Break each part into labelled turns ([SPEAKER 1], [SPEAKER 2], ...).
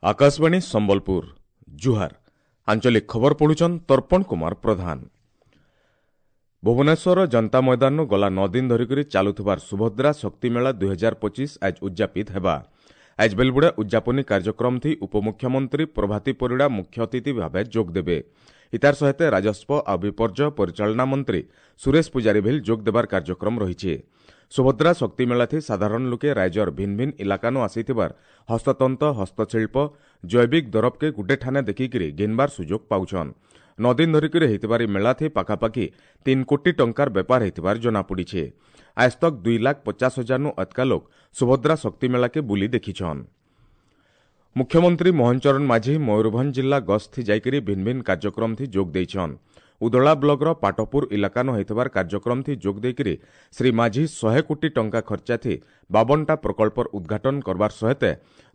[SPEAKER 1] ଆକାଶବାଣୀ ସମ୍ବଲପୁର, ଜୁହାର। ଆଞ୍ଚଳିକ ଖବର ପଢୁଛନ୍ ତର୍ପଣ କୁମାର ପ୍ରଧାନ। ଭୁବନେଶ୍ୱର ଜନତା ମଇଦାନରୁ ଗଲା 9 ଦିନ ଧରିକରି ଚାଲୁଥିବାର ସୁଭଦ୍ରା ଶକ୍ତି ମେଳା 2025 ଆଜ ଉଦ୍ଯାପିତ ହେବା। ଆଜ ବେଲବୁଡ଼ା ଉଦ୍ଯାପନୀ କାର୍ଯ୍ୟକ୍ରମ ଥି ଉପମୁଖ୍ୟମନ୍ତ୍ରୀ ପ୍ରଭାତୀ ପରିଡ଼ା ମୁଖ୍ୟ ଅତିଥି ଭାବେ ଯୋଗ ଦେବେ। ଇତାର ସହିତ ରାଜସ୍ୱ ଆଉ ବିପର୍ଯ୍ୟୟ ପରିଚାଳନା ମନ୍ତ୍ରୀ ସୁରେଶ ପୂଜାରୀ ଭିଲ୍ ଯୋଗ ଦେବାର କାର୍ଯ୍ୟକ୍ରମ ରହିଛି। ସୁଭଦ୍ରା ଶକ୍ତି ମେଳାଥି ସାଧାରଣ ଲୋକେ ରାଜ୍ୟର ଭିନ୍ନ ଭିନ୍ନ ଇଲାକାନୁ ଆସିଥିବାର ହସ୍ତତନ୍ତ, ହସ୍ତଶିଳ୍ପ, ଜୈବିକ ଦରବକେ ଗୁଟେ ଠାନେ ଦେଖିକିରି ଘିନବାର ସୁଯୋଗ ପାଉଛନ୍। 9 ଦିନ ଧରିକରି ହେଇଥିବାର ଇ ମେଳାଥି ପାଖାପାଖି 3 କୋଟି ଟଙ୍କାର ବେପାର ହେଇଥିବାର ଜଣାପଡ଼ିছে। ଆଜ ତକ୍ 2,50,000ନୁ ଅଧିକା ଲୋକ ସୁଭଦ୍ରା ଶକ୍ତି ମେଳାକେ ବୁଲି ଦେଖିଛନ୍। ମୁଖ୍ୟମନ୍ତ୍ରୀ ମୋହନ ଚରଣ ମାଝୀ ମୟୂରଭଞ୍ଜ ଜିଲ୍ଲା ଗସ୍ତଥି ଯାଇକରି ଭିନ୍ନ ଭିନ୍ନ କାର୍ଯ୍ୟକ୍ରମଥି ଯୋଗ ଦେଇଛନ୍। ଉଦଳା ବ୍ଲକର ପାଟପୁର ଇଲାକାନୁ ହେଇଥିବାର କାର୍ଯ୍ୟକ୍ରମଥି ଯୋଗ ଦେଇକରି ଶ୍ରୀ ମାଝୀ 100 କୋଟି ଟଙ୍କା ଖର୍ଚ୍ଚାଥି 52ଟା ପ୍ରକଳ୍ପର ଉଦ୍ଘାଟନ କରବାର ସହିତ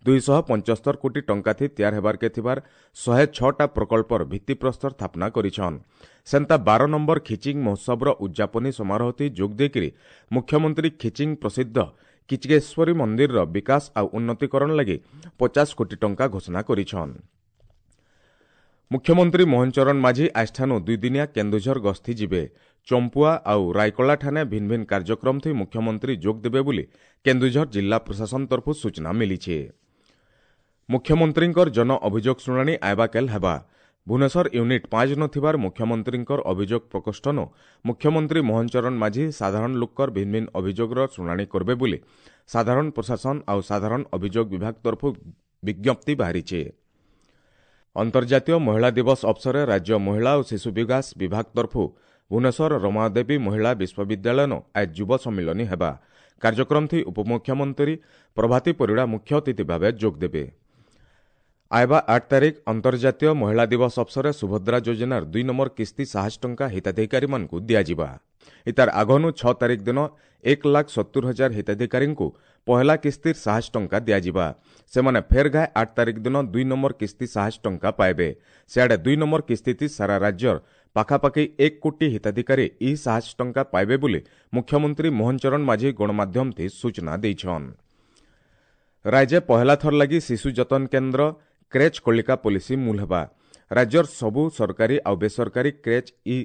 [SPEAKER 1] 275 କୋଟି ଟଙ୍କାଥି ତିଆର ହେବାରକେ ଥିବାର 106ଟା ପ୍ରକଳ୍ପର ଭିତ୍ତିପ୍ରସ୍ତର ସ୍ଥାପନା କରିଛନ୍। ସେନ୍ତା 12 ନମ୍ବର ଖିଚିଂ ମହୋତ୍ସବର ଉଦ୍ଯାପନୀ ସମାରୋହଥି ଯୋଗ ଦେଇକରି ମୁଖ୍ୟମନ୍ତ୍ରୀ ଖିଚିଂ ପ୍ରସିଦ୍ଧ କିଚକେଶ୍ୱରୀ ମନ୍ଦିରର ବିକାଶ ଆଉ ଉନ୍ନତିକରଣ ଲାଗି 50 କୋଟି ଟଙ୍କା ଘୋଷଣା କରିଛନ୍। ମୁଖ୍ୟମନ୍ତ୍ରୀ ମୋହନ ଚରଣ ମାଝୀ ଆଜଠାନୁ 2 ଦିନିଆ କେନ୍ଦୁଝର ଗସ୍ତି ଯିବେ। ଚମ୍ପୁଆ ଆଉ ରାଇକଳା ଠାନେ ଭିନ୍ନ ଭିନ୍ନ କାର୍ଯ୍ୟକ୍ରମଥି ମୁଖ୍ୟମନ୍ତ୍ରୀ ଯୋଗ ଦେବେ ବୋଲି କେନ୍ଦୁଝର ଜିଲ୍ଲା ପ୍ରଶାସନ ତରଫରୁ ସୂଚନା ମିଳିଛି। ମୁଖ୍ୟମନ୍ତ୍ରୀଙ୍କର ଜନ ଅଭିଯୋଗ ଶୁଣାଣି ଆଇବାକେଲ ହେବା। ଭୁବନେଶ୍ୱର ୟୁନିଟ୍ 5 ନଥିବାର ମୁଖ୍ୟମନ୍ତ୍ରୀଙ୍କର ଅଭିଯୋଗ ପ୍ରକୋଷ୍ଠନୁ ମୁଖ୍ୟମନ୍ତ୍ରୀ ମୋହନ ଚରଣ ମାଝୀ ସାଧାରଣ ଲୋକର ଭିନ୍ନ ଭିନ୍ନ ଅଭିଯୋଗର ଶୁଣାଣି କରିବେ ବୋଲି ସାଧାରଣ ପ୍ରଶାସନ ଆଉ ସାଧାରଣ ଅଭିଯୋଗ ବିଭାଗ ତରଫରୁ ବିଜ୍ଞପ୍ତି ବାହାରିଛି। ଅନ୍ତର୍ଜାତୀୟ ମହିଳା ଦିବସ ଅବସରରେ ରାଜ୍ୟ ମହିଳା ଓ ଶିଶୁ ବିକାଶ ବିଭାଗ ତରଫରୁ ଭୁବନେଶ୍ୱର ରମାଦେବୀ ମହିଳା ବିଶ୍ୱବିଦ୍ୟାଳୟନ ଆଜ ଯୁବ ସମ୍ମିଳନୀ ହେବା। କାର୍ଯ୍ୟକ୍ରମଥି ଉପମୁଖ୍ୟମନ୍ତ୍ରୀ ପ୍ରଭାତୀ ପରିଡ଼ା ମୁଖ୍ୟ ଅତିଥି ଭାବେ ଯୋଗ ଦେବେ। ଆଇବା 8 ତାରିଖ ଅନ୍ତର୍ଜାତୀୟ ମହିଳା ଦିବସ ଅବସରରେ ସୁଭଦ୍ରା ଯୋଜନାର 2 ନମ୍ବର କିସ୍ତି 7 ଟଙ୍କା ହିତାଧିକାରୀମାନଙ୍କୁ ଦିଆଯିବା। ଇତାର ଆଗନୁ 6 ତାରିଖ ଦିନ 1,70,000 ହିତାଧିକାରୀଙ୍କୁ ପହଲା କିସ୍ତିର 7 ଟଙ୍କା ଦିଆଯିବା। ସେମାନେ ଫେର ଘାଏ 8 ତାରିଖ ଦିନ 2 ନମ୍ବର କିସ୍ତି 7 ଟଙ୍କା ପାଇବେ। ସିଆଡ଼େ 2 ନମ୍ବର କିସ୍ତିଥି ସାରା ରାଜ୍ୟର ପାଖାପାଖି 1 କୋଟି ହିତାଧିକାରୀ ଇ 7 ଟଙ୍କା ପାଇବେ ବୋଲି ମୁଖ୍ୟମନ୍ତ୍ରୀ ମୋହନ ଚରଣ ମାଝୀ ଗଣମାଧ୍ୟମଥି ସୂଚନା ଦେଇଛନ୍। ରାଜ୍ୟ ପହଲା ଥର ଲାଗି ଶିଶୁ ଯତନ କେନ୍ଦ୍ର କ୍ରେଚ୍ କଳିକା ପଲିସି ମୂଲ ହେବା। ରାଜ୍ୟର ସବୁ ସରକାରୀ ଆଉ ବେସରକାରୀ କ୍ରେଚ୍ ଇ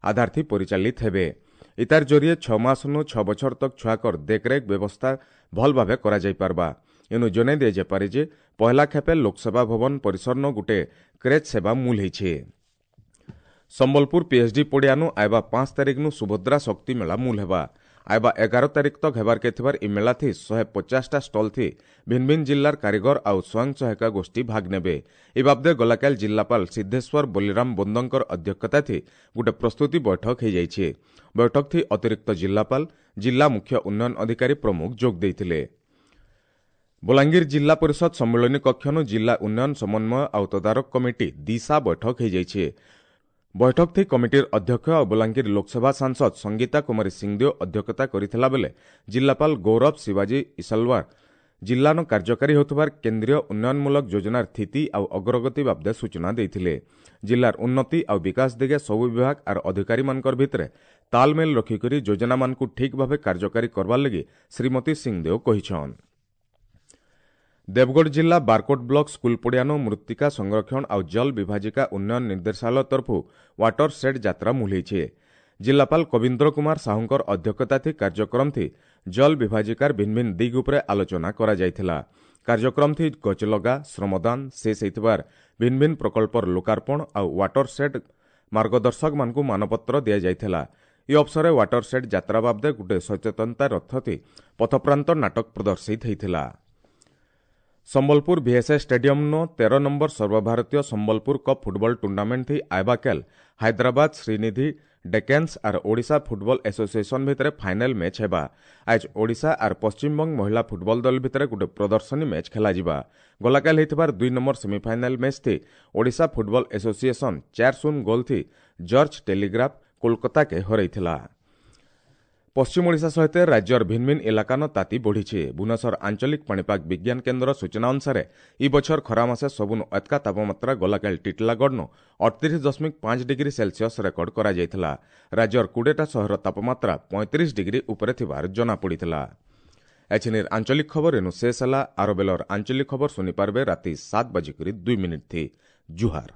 [SPEAKER 1] ଆଧାରଥି ପରିଚାଳିତ ହେବେ। ଇତାର ଜରିଏ 6 ମାସନୁ 6 ବଛର ତକ୍ ଛୁଆକର ଦେଖରେଖ ବ୍ୟବସ୍ଥା ଭଲ ଭାବେ କରାଯାଇପାରବା। ଏନୁ ଜଣାଇ ଦିଆଯାଇପାରେ ଯେ ପହଲା ଖେପେ ଲୋକସେବା ଭବନ ପରିସରନ ଗୁଟେ କ୍ରେଚ୍ ସେବା ମୂଲ ହେଇଛେ। ସମ୍ବଲପୁର ପିଏଚ୍ଡି ପଡ଼ିଆନୁ ଆଇବା 5 ତାରିଖନୁ ସୁଭଦ୍ରା ଶକ୍ତି ମେଳା ମୂଲ ହେବା। ଆଇବା 11 ତାରିଖ ତକ୍ ହେବାରକେ ଥିବାର ଇ ମେଳାଥି 150ଟା ଷ୍ଟଲ୍ ଥି ଭିନ୍ନ ଭିନ୍ନ ଜିଲ୍ଲାର କାରିଗର ଆଉ ସ୍ୱୟଂ ସହାୟକ ଗୋଷ୍ଠୀ ଭାଗ ନେବେ। ଏ ବାବଦେ ଗଲାକାଲ ଜିଲ୍ଲାପାଳ ସିଦ୍ଧେଶ୍ୱର ବଲିରାମ ବୋନ୍ଦଙ୍କର ଅଧ୍ୟକ୍ଷତା ଥି ଗୋଟେ ପ୍ରସ୍ତୁତି ବୈଠକ ହେଇଯାଇଛି। ବୈଠକ ଥି ଅତିରିକ୍ତ ଜିଲ୍ଲାପାଳ, ଜିଲ୍ଲା ମୁଖ୍ୟ ଉନ୍ନୟନ ଅଧିକାରୀ ପ୍ରମୁଖ ଯୋଗ ଦେଇଥିଲେ। ବଲାଙ୍ଗୀର ଜିଲ୍ଲା ପରିଷଦ ସମ୍ମିଳନୀ କକ୍ଷନୁ ଜିଲ୍ଲା ଉନ୍ନୟନ ସମନ୍ୱୟ ଆଉ ତଦାରଖ କମିଟି ଦିଶା ବୈଠକ ହେଇଯାଇଛି। ବୈଠକ ଥି କମିଟିର ଅଧ୍ୟକ୍ଷ ଆଉ ବଲାଙ୍ଗୀର ଲୋକସଭା ସାଂସଦ ସଂଗୀତା କୁମାରୀ ସିଂଦେଓ ଅଧ୍ୟକ୍ଷତା କରିଥିଲା ବେଲେ ଜିଲ୍ଲାପାଳ ଗୌରବ ଶିବାଜୀ ଇସଲୱାର ଜିଲ୍ଲାନ କାର୍ଯ୍ୟକାରୀ ହେଉଥିବାର କେନ୍ଦ୍ରୀୟ ଉନ୍ନୟନମୂଳକ ଯୋଜନାର ସ୍ଥିତି ଆଉ ଅଗ୍ରଗତି ବାବଦେ ସୂଚନା ଦେଇଥିଲେ। ଜିଲ୍ଲାର ଉନ୍ନତି ଆଉ ବିକାଶ ଦିଗେ ସବୁ ବିଭାଗ ଆର ଅଧିକାରୀମାନଙ୍କର ଭିତରେ ତାଲମେଲ ରଖିକରି ଯୋଜନାମାନଙ୍କୁ ଠିକ୍ ଭାବେ କାର୍ଯ୍ୟକାରୀ କରବାର ଲାଗି ଶ୍ରୀମତୀ ସିଂଦେଓ କହିଛନ୍। ଦେବଗଡ଼ ଜିଲ୍ଲା ବାରକୋଟ ବ୍ଲକ ସ୍କୁଲ ପଡ଼ିଆନୁ ମୃତ୍ତିକା ସଂରକ୍ଷଣ ଆଉ ଜଳ ବିଭାଜିକା ଉନ୍ନୟନ ନିର୍ଦ୍ଦେଶାଳୟ ତରଫରୁ ୱାଟର ସେଡ୍ ଯାତ୍ରା ମୂଲ ହେଇଛେ। ଜିଲ୍ଲାପାଳ କବୀନ୍ଦ୍ର କୁମାର ସାହୁଙ୍କର ଅଧ୍ୟକ୍ଷତା କାର୍ଯ୍ୟକ୍ରମଥି ଜଳ ବିଭାଜିକାର ଭିନ୍ନ ଭିନ୍ନ ଦିଗ ଉପରେ ଆଲୋଚନା କରାଯାଇଥିଲା। କାର୍ଯ୍ୟକ୍ରମଥି ଗଛଲଗା, ଶ୍ରମଦାନ, ଶେଷ ହେଇଥିବାର ଭିନ୍ନ ଭିନ୍ନ ପ୍ରକଳ୍ପର ଲୋକାର୍ପଣ ଆଉ ୱାଟର ସେଡ୍ ମାର୍ଗଦର୍ଶକମାନଙ୍କୁ ମାନପତ୍ର ଦିଆଯାଇଥିଲା। ଏ ଅବସରରେ ୱାଟର ସେଡ୍ ଯାତ୍ରା ବାବଦେ ଗୋଟେ ସଚେତନତା ରଥଥି ପଥପ୍ରାନ୍ତ ନାଟକ ପ୍ରଦର୍ଶିତ ହେଇଥିଲା। ସମ୍ବଲପୁର ଭିଏସ୍ଏସ୍ ଷ୍ଟାଡିୟମ୍ନ 13 ନମ୍ବର ସର୍ବଭାରତୀୟ ସମ୍ବଲପୁର କପ୍ ଫୁଟବଲ ଟୁର୍ଣ୍ଣାମେଣ୍ଟ ଥି ଆଇବାକେଲ ହାଇଦ୍ରାବାଦ ଶ୍ରୀନିଧି ଡେକେନ୍ସ ଆର୍ ଓଡ଼ିଶା ଫୁଟବଲ ଆସୋସିଏସନ୍ ଭିତରେ ଫାଇନାଲ ମ୍ୟାଚ୍ ହେବା। ଆଜ ଓଡ଼ିଶା ଆର୍ ପଶ୍ଚିମବଙ୍ଗ ମହିଳା ଫୁଟବଲ ଦଳ ଭିତରେ ଗୋଟେ ପ୍ରଦର୍ଶନୀ ମ୍ୟାଚ୍ ଖେଳାଯିବା। ଗଲାକାଲ ହେଇଥିବାର 2 ନମ୍ବର ସେମିଫାଇନାଲ ମ୍ୟାଚ୍ ଥି ଓଡ଼ିଶା ଫୁଟବଲ ଆସୋସିଏସନ୍ 4-0 ଗୋଲ୍ ଥି ଜର୍ଜ ଟେଲିଗ୍ରାଫ କୋଲକାତାକେ ହରାଇଥିଲା। ପଶ୍ଚିମ ଓଡ଼ିଶା ସହିତ ରାଜ୍ୟର ଭିନ୍ନ ଭିନ୍ନ ଇଲାକାନ ତାତି ବଢ଼ିଛି। ଭୁବନେଶ୍ୱର ଆଞ୍ଚଳିକ ପାଣିପାଗ ବିଜ୍ଞାନ କେନ୍ଦ୍ର ସୂଚନା ଅନୁସାରେ ଇ ବଛର ଖରା ମାସେ ସବୁନୁ ଅତକା ତାପମାତ୍ରା ଗଲାକାଲି ଟିଟଲାଗଡ଼ନୁ 38.5 ଡିଗ୍ରୀ ସେଲସିୟସ୍ ରେକର୍ଡ କରାଯାଇଥିଲା। ରାଜ୍ୟର 20ଟା ସହର ତାପମାତ୍ରା 35 ଡିଗ୍ରୀ ଉପରେ ଥିବାର ଜଣାପଡ଼ିଥିଲା। ଏଛିନିର ଆଞ୍ଚଳିକ ଖବର ଏନୁ ଶେଷ ହେଲା। ଆର ବେଲର ଆଞ୍ଚଳିକ ଖବର ଶୁଣିପାରବେ ରାତି 7:02 ଥି। ଜୁହାର।